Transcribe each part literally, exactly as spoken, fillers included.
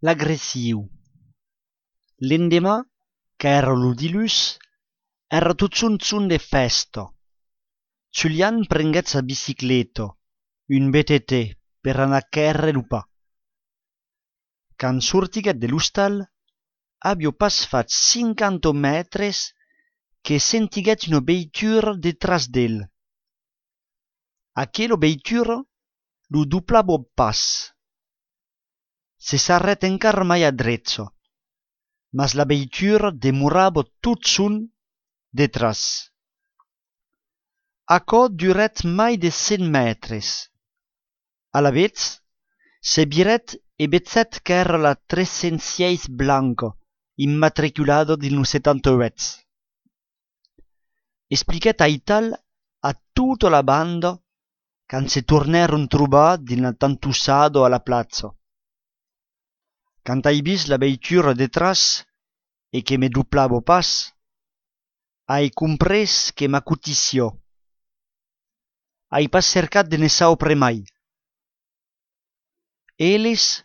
l'agressiu. L'endemà, qu'ère lo dilus, era tot son son de festa. Julian prenguèt sa bicicleta, un B T T, per anar quèrre lo pa. Quand sortiguèt de l'ostal, aviò pas fat cinquanta mètres que sentiguèt una veitura detras d'el. Aquela veitura lo doblava pas. Se s'arrèt encara mai a drezzo, mas la veitura demorava tot son detras. Aquò duret mai de cent mètres. A la vez, se viret e vetzèt qu'ère la tres cent seis blanca, immatriculada dil setanta-oit. Expliquèt aital a tota la banda quand se tornèron trobar dina tantussada a la plaza. Quand ai vist la veitura detras e que me doblava pas, ai comprès que m'acotició. Ai pas cercat de ne saupre mai. Elles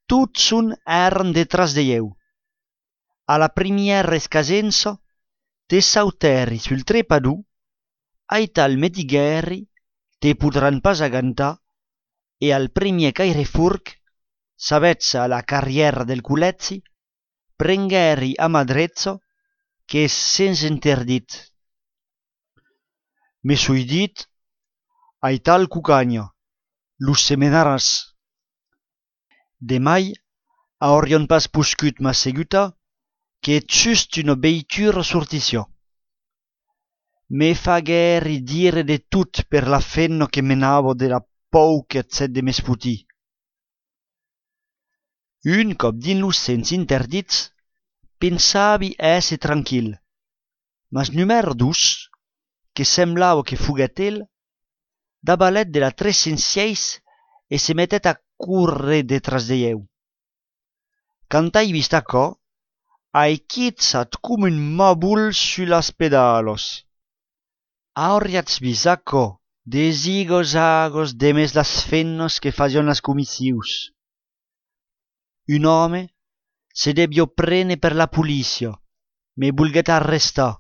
tot son èran detras de eu. A la primièra escasença, te sautèri sul trepador, aital me diguèri te podran pas agantar, e al primièr cairefurc, s'avezza a la carrièra del Colèzi, prenguèri a mà drezza, qu'es sens interdit. Me soi dit, aital cucagna, los semenaràs. Demai aurion pas poscut m'assegutar que just una veitura sortissió. Me faguèri dire de tot per la fenna que menava de la pauquetzet de m'esputir. Un cop din los sens interdits, pensavi èsser tranquil, mas numèro dos, que semblava que foguèt el, dabalet de la tres cent seis e se metèt a correr detras de eu. Quand ai vist aquò, ai quitzat com un mabul sus las pedalos. Auriatz vist aquò de zigozagos demés las fennas que faion las comissius. Un home se debió prene per la policia, me volguèt arrestar,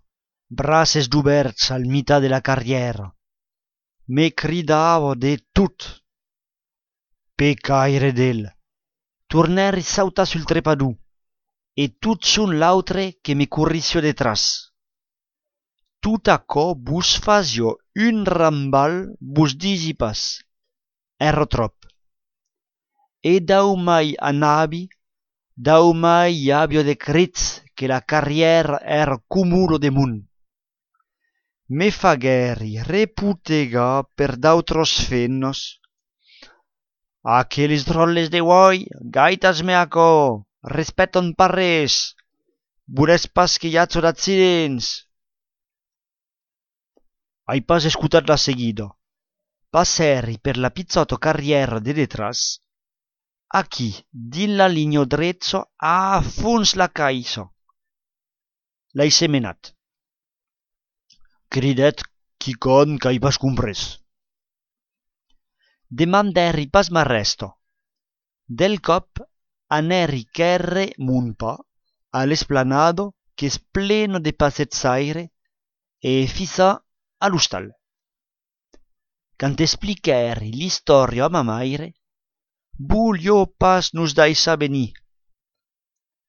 braces d'oberts al mitat de la carrièra. Me cridava de tot. Pecaire d'el. Tornèri sautar sul trepador, e tot son l'autre que me corrissió detras. Tot aquò vos fasio un rambal, vos disi pas. Era trop. E dau mai anabi, dau mai avio de crits que la carrièra era cumulo de mun. Me faguèri reputegar per d'autros fennos. Aqueles drolles de uoi, gaitas me aquò, respèton parres, volètz pas que iatzo d'accidents. Ai pas escutat la seguida. Passèri per la pizzota carrièra de detras, aquí, din la linha drezza, a fons la caissa. L'ai semenat. Cridèt quicon qu'ai pas comprès. Demandèri pas m'arresta. Del cop anèri quèrre mon pa a l'esplanada qu'es plena de passetzaire e fissa a l'ostal. Quand expliquèri l'istòria a ma maire, vogliò pas nos daissar venir.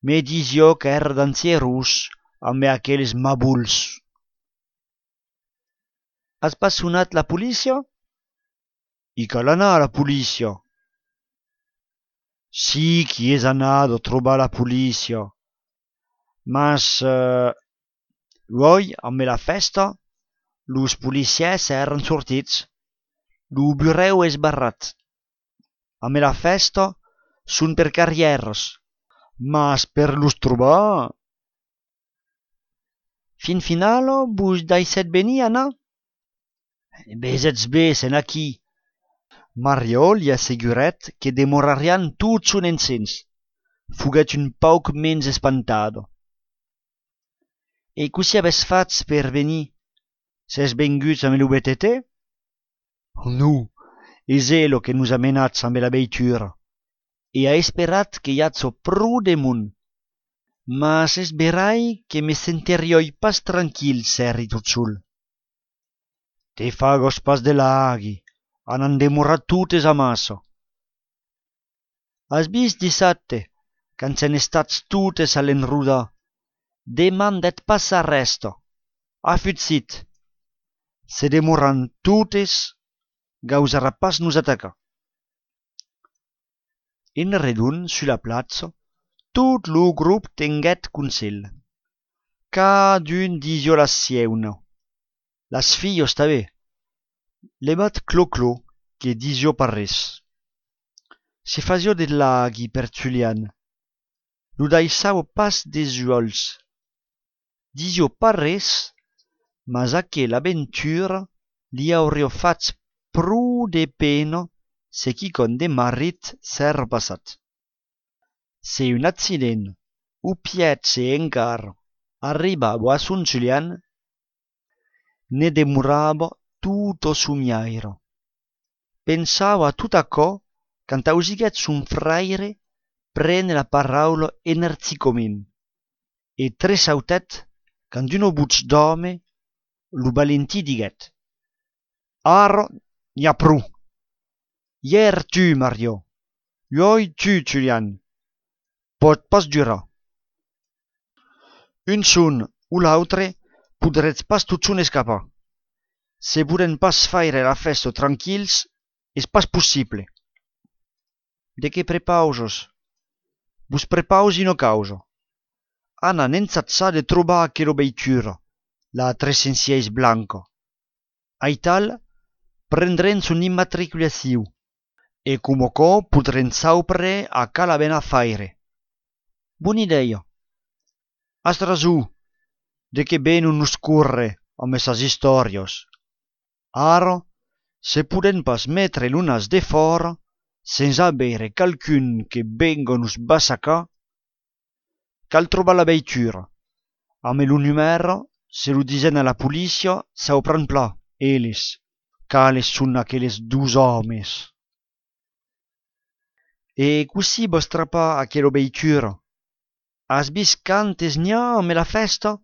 Me disió qu'ère dansierós amb aqueles mabuls. Has pas sonat la policia? I cal anar a la policia. Sí qui és anado a trobar la policia. Mas, eh, uoi, amb la festa, los policiers eran sortits. Lo bureu és barrat. Amb la festa són per carrières, mas per los trobar. Fin finalo vos daissèt venir, Anna? Besetz bé, sen aquí. Mario li asseguret que demorarian tot son encens. Foguèt un pauc mens espantado. E così aves fats per venir? S'es venguts amb lo B T T? No, és elo que nos ha menats amb la veitura. e ha esperat que iazzo pro demun. Mas es verai que me senterioi pas tranquil serri tot sul. Te fagos pas de laghi, han demorat tutes amasso. Has vist dissabte, quand se n'estats tutes a l'enruda, demandet pas arresto. A futsit. Se demoran tutes, gausarà pas nos ataca. En redun, su la platza, tot lo grup tenguet consell. Cadun disio la sieuna. Las fillos també. Levat clo-clo, que disio parres. Se fazio de laghi per Julian. Lo daisavo pas des uols. Disio parres, mas aquella aventura li aurio fats pro de pena se qui con de marit s'er passat. Se un accident, u piet se encar, arribavo a Son Julian, ne demoravo tutto su miairo. Pensavo a tut aquò quand ausiguet son fraire prene la paraula enerzicoment, e tresautet quand uno buts d'home lo valentí diguet. Aro, n'hi ha prou. Hier tu, Mario. Ioi tu, Julian. Pot pas durar. Un son o l'autre podretz pas tot son escapar. Se volen pas faire la festa tranquils, és pas possible. De que prepausos? Vos prepausi no causa. Ana n'ensatza de trobar aquero veitura, la trecensiais blanca. Aital, prendren son immatriculaciu, e como co podren saupre a cala ben a faire. Bona idea. Has rasu, de que ben un nos corre amb esas historios. Ara, se poden pas metre l'unas de fora, sense avere calcun que venga nos bassacar, cal trobar la veitura. Amb lo numero, se lo disen a la policia, saupran pla, eles, cales son aquelles dus homes. E così vos strappa aquella veitura. Has vist cantes n'hi ha amb la festa?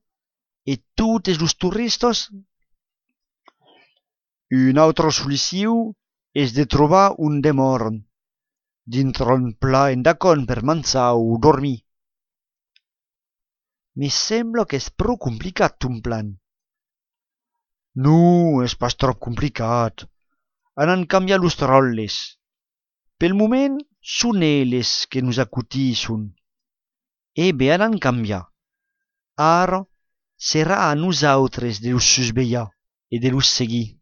E tutes los turistas? Un altre soliciu és de trobar un demorn, dintre un pla endacon per manzar o dormir. Me sembla que és prou complicat ton plan. No, és pas trop complicat. Han canviat los roles. Pel moment, són elles que nos acutisson. E bé han canviat. Ara, serà a nosaltres de los susveillar e de los seguir.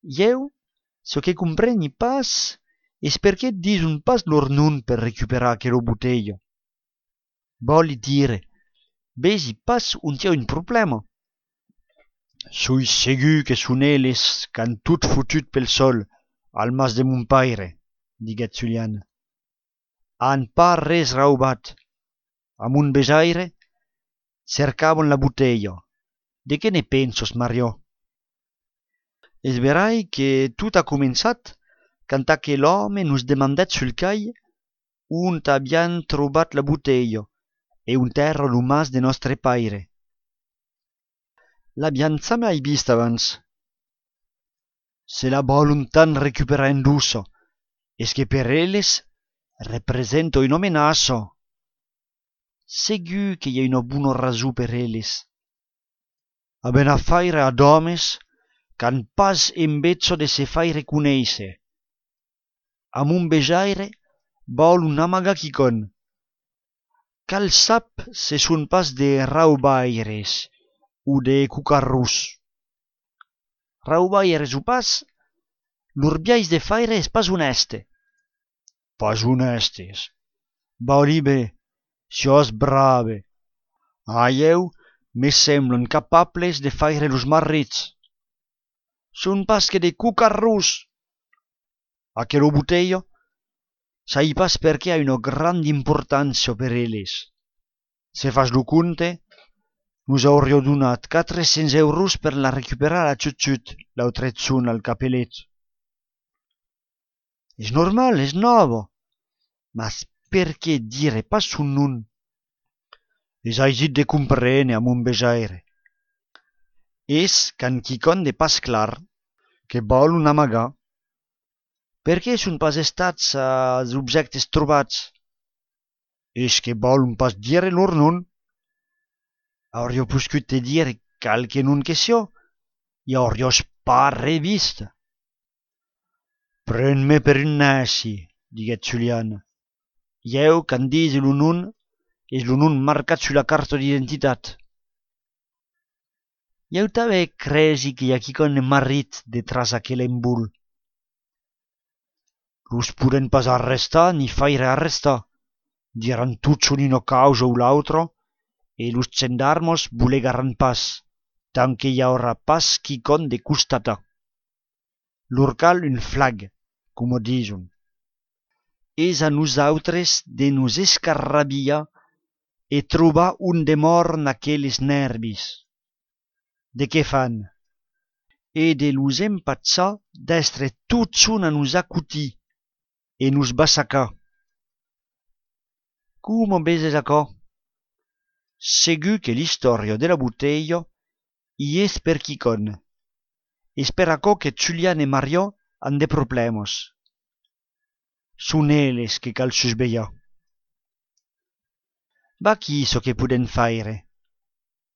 Jeu, so que compreni pas, és perché dison pas lor non per recuperar aquella botella. Voli dire, vesi pas un tia un problema. Soi segur que son elles qu'han tot fotut pel sol al mas de mon paire, diguet Julian. Han pas res raubat. A mon besaire, cercavan la botella. De què ne pensos, Mario? Es verai que tot ha començat quand aquell home nos demandet sul cai on aviam trobat la botella e on era lo mas de nostre paire. L'aviam mai vist abans. Se la voluntan recuperar endusso, es que per elles representa una amenaça. Segur que hi ha una bona raó per elles. Haben a faire ad homes qu'han pas embezzo de se faire conèisser. A mon bejaire vol un amaga quicon. Cal sap se son pas de raubaires o de cucarrus. Raubaires o pas, lor biais de faire és pas honeste. Pas honestes. Voli bé, sios brave. A eu me semblan capables de faire los marrits. Son pas que de cucarrus. Aquella botella, sai pas perché ha una grande importanza per elles. Se fas lo conte, nos aurio donat quatre-cents euros per la recuperar a Chut-Chut, l'altre zona al capellet. És normal, és novo. Mas perché dire pas son nom? Es aisit de comprene a mon bejaire. És qu'an quicon de pas clar, que vol un amagar. Perché son pas estats als objectes trobats? És que vol pas dire lor nom. Aurio puscut te dire calque nom que sio, i aurios pas revist. Pren-me per un nazi, diguet Julian. Jeu qu'an dise lo nom és lo nom marcat sulla carta d'identitat. Jeu tanben cresi que y a quicon de marit detras aquel embol. Los puden pas arrestar ni faire arrestar. Diran tuts un'ina causa o l'autro, e los gendarmos bulegaran pas, tant que y aura pas quicon de costata. Lor cal un flag, como dison. És a nosautres de nos escarrabiar e trobar un de mor n'aqueles nervis. De què fan? E de los empatzar d'estre tot son a nos acutir e nos bassacar. Como beses acá? Segur que l'historia de la botella i és per quicon. És per acá que Julian e Mario han de problemos. Son elles que cal susvellar. Va qui so que puden faire?